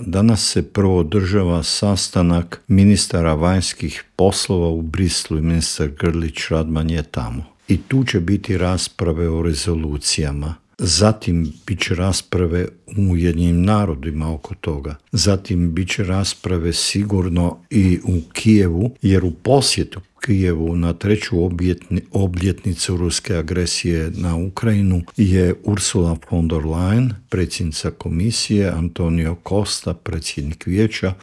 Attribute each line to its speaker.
Speaker 1: Danas se prvo održava sastanak ministara vanjskih poslova u Brislu i ministar Grlić Radman je tamo. I tu će biti rasprave o rezolucijama. Zatim bit će rasprave u Ujedinjenim narodima oko toga. Zatim bit će rasprave sigurno i u Kijevu, jer u posjetu Kijevu na 3. obljetnicu ruske agresije na Ukrajinu je Ursula von der Leyen, predsjednica komisije, Antonio Costa, predsjednik vijeća,